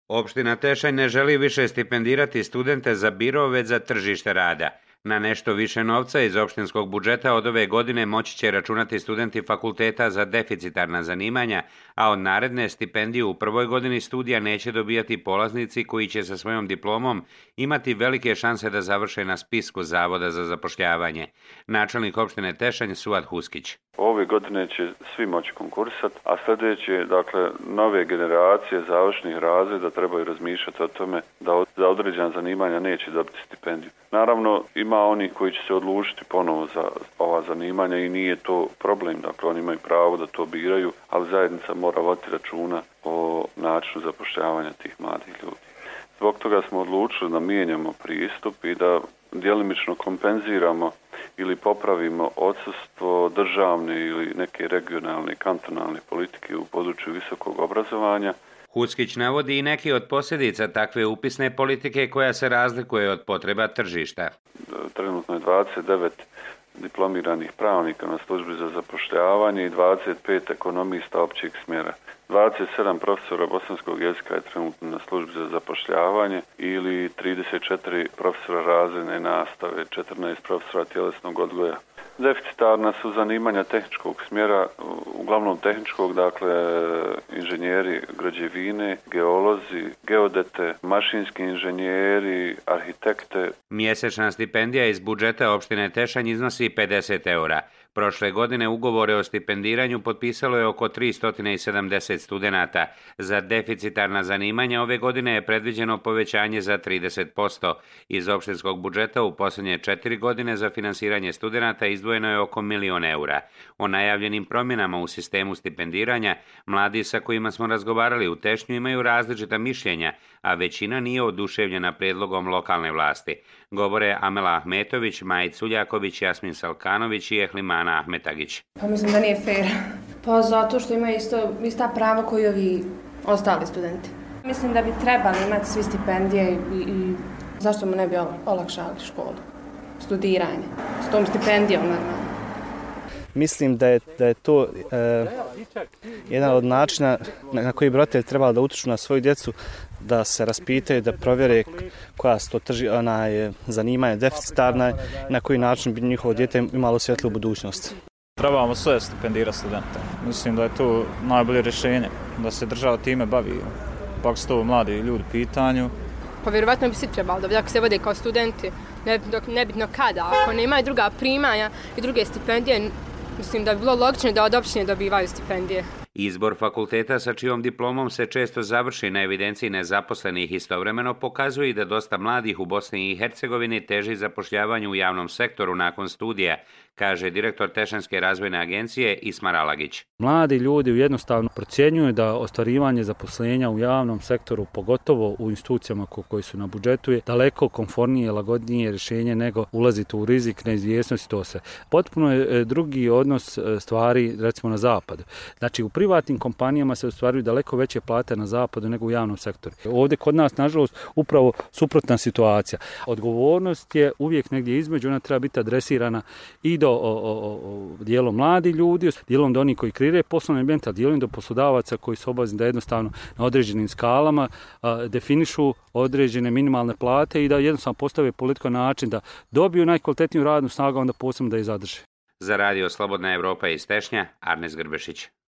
Opština Tešanj ne želi više stipendirati studente za biro, već za tržište rada. Na nešto više novca iz opštinskog budžeta od ove godine moći će računati studenti fakulteta za deficitarna zanimanja, a od naredne stipendiju u prvoj godini studija neće dobijati polaznici koji će sa svojom diplomom imati velike šanse da završe na spisku Zavoda za zapošljavanje. Načelnik opštine Tešanj Suad Huskić. Ove godine će svi moći konkurisati, a sljedeće, dakle, nove generacije završnih razreda trebaju razmišljati o tome da za određena zanimanja neće dobiti stipendiju. Naravno, ima oni koji će se odlučiti ponovo za ova zanimanja i nije to problem, dakle, oni imaju pravo da to biraju, ali zajednica mora voditi računa o načinu zapošljavanja tih mladih ljudi. Zbog toga smo odlučili da mijenjamo pristup i da djelimično kompenziramo ili popravimo odsustvo državne ili neke regionalne kantonalne politike u području visokog obrazovanja. Huskić navodi i neki od posljedica takve upisne politike koja se razlikuje od potreba tržišta. Trenutno je 29 diplomiranih pravnika na službi za zapošljavanje i 25 ekonomista općeg smjera. 27 profesora bosanskog jezika je trenutno na službi za zapošljavanje ili 34 profesora razredne nastave, 14 profesora tjelesnog odgoja. Deficitarna su zanimanja tehničkog smjera, uglavnom tehničkog, dakle inženjeri građevine, geolozi, geodete, mašinski inženjeri, arhitekte. Mjesečna stipendija iz budžeta opštine Tešanj iznosi 50 eura. Prošle godine ugovore o stipendiranju potpisalo je oko 370 studenata. Za deficitarna zanimanja ove godine je predviđeno povećanje za 30%. Iz opštinskog budžeta u posljednje 4 godine za finansiranje studenata izdvojeno je oko 1 milion eura. O najavljenim promjenama u sistemu stipendiranja mladi sa kojima smo razgovarali u Tešnju imaju različita mišljenja, a većina nije oduševljena prijedlogom lokalne vlasti. Govore Amela Ahmetović, Majić Suljaković, Jasmin Salkanović i Ehlimana Ahmetagić. Pa mislim da nije fair. Pa zato što imaju ista prava koji ovi ostali studenti. Mislim da bi trebali imati svi stipendije i zašto mu ne bi olakšali školu, studiranje, s tom stipendijom normalno. Mislim da je to jedan od načina na koji bi roditelji trebali da utiču na svoju djecu, da se raspitaju, da provjere koja su to zanimanja deficitarna i na koji način bi njihovo dijete imalo svjetlu budućnost. Trebamo sve stipendirati studente. Mislim da je to najbolje rješenje, da se država time bavi. Pak su to mladi ljudi u pitanju. Pa vjerovatno bi svi trebalo da ako se vode kao studenti, nebitno kada, ako nemaju druga primanja i druge stipendije, mislim da bi bilo logično da od opštine dobivaju stipendije. Izbor fakulteta sa čijom diplomom se često završi na evidenciji nezaposlenih istovremeno pokazuje i da dosta mladih u Bosni i Hercegovini teži zapošljavanju u javnom sektoru nakon studija, kaže direktor Tešanjske razvojne agencije Ismar Alagić. Mladi ljudi jednostavno procjenjuju da ostvarivanje zaposlenja u javnom sektoru, pogotovo u institucijama koji su na budžetu, je daleko komfornije, lagodnije rješenje nego ulaziti u rizik, neizvjesnost, to se. Potpuno je drugi odnos stvari, recimo na zapadu. Znači, u privatnim kompanijama se ostvaruju daleko veće plate na zapadu nego u javnom sektoru. Ovdje kod nas, nažalost, upravo suprotna situacija. Odgovornost je uvijek negdje između, ona treba biti adresirana i do dijelom mladi ljudi, dijelom do onih koji kreiraju poslovni ambijent, a dijelom do poslodavaca koji su obavezni da jednostavno na određenim skalama definišu određene minimalne plate i da jednostavno postave politiku na način da dobiju najkvalitetniju radnu snagu, onda posebno da je zadrže. Za radio Slobodna Evropa iz Tešnja, Arnes Grbešić.